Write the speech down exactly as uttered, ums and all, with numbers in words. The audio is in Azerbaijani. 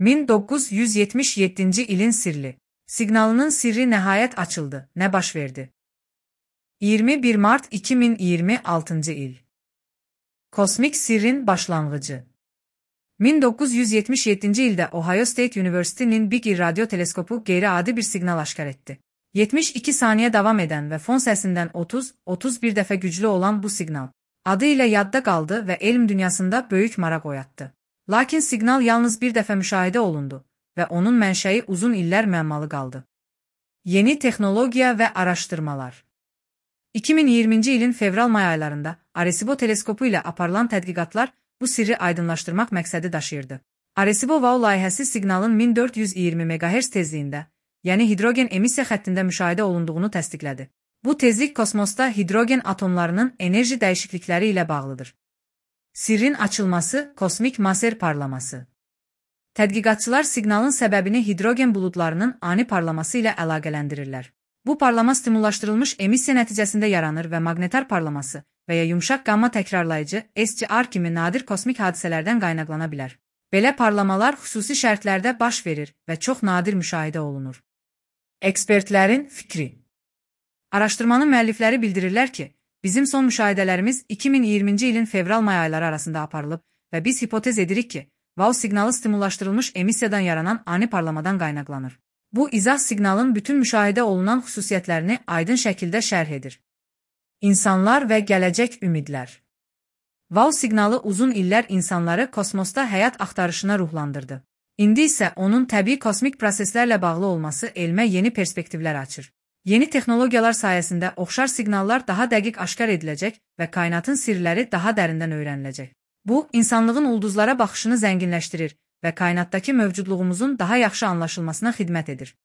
min doqquz yüz yetmiş yeddinci ilin sirli. Siqnalının sirri nəhayət açıldı. Nə baş verdi? iyirmi bir mart iki min iyirmi altıncı il. Kosmik sirrin başlanğıcı. min doqquz yüz yetmiş yeddinci ildə Ohio State University'nin Big Ear radyo teleskopu qeyri-adi bir siqnal aşkar etdi. yetmiş iki saniyə davam edən və fon səsindən otuz otuz bir dəfə güclü olan bu siqnal adı ilə yadda qaldı və elm dünyasında böyük maraq oyatdı. Lakin siqnal yalnız bir dəfə müşahidə olundu və onun mənşəyi uzun illər müəmmalı qaldı. Yeni texnologiya və araşdırmalar. iki min iyirminci ilin fevral-may aylarında Arecibo teleskopu ilə aparılan tədqiqatlar bu sirri aydınlaşdırmaq məqsədi daşıyırdı. Arecibo-Wow layihəsi siqnalın min dörd yüz iyirmi meqahertz tezliyində, yəni hidrogen emissiya xəttində müşahidə olunduğunu təsdiqlədi. Bu tezlik kosmosda hidrogen atomlarının enerji dəyişiklikləri ilə bağlıdır. Sirrin açılması, kosmik maser parlaması. Tədqiqatçılar siqnalın səbəbini hidrogen buludlarının ani parlaması ilə əlaqələndirirlər. Bu parlama stimullaşdırılmış emissiya nəticəsində yaranır və maqnetar parlaması və ya yumşaq qamma təkrarlayıcı S G R kimi nadir kosmik hadisələrdən qaynaqlana bilər. Belə parlamalar xüsusi şərtlərdə baş verir və çox nadir müşahidə olunur. Ekspertlərin fikri. Araşdırmanın müəllifləri bildirirlər ki, bizim son müşahidələrimiz iki min iyirminci ilin fevral-may ayları arasında aparılıb və biz hipotez edirik ki, Wow siqnalı stimullaşdırılmış emissiyadan yaranan ani parlamadan qaynaqlanır. Bu izah siqnalın bütün müşahidə olunan xüsusiyyətlərini aydın şəkildə şərh edir. İnsanlar və gələcək ümidlər. Wow siqnalı uzun illər insanları kosmosda həyat axtarışına ruhlandırdı. İndi isə onun təbii kosmik proseslərlə bağlı olması elmə yeni perspektivlər açır. Yeni texnologiyalar sayəsində oxşar siqnallar daha dəqiq aşkar ediləcək və kainatın sirləri daha dərindən öyrəniləcək. Bu, insanlığın ulduzlara baxışını zənginləşdirir və kainatdakı mövcudluğumuzun daha yaxşı anlaşılmasına xidmət edir.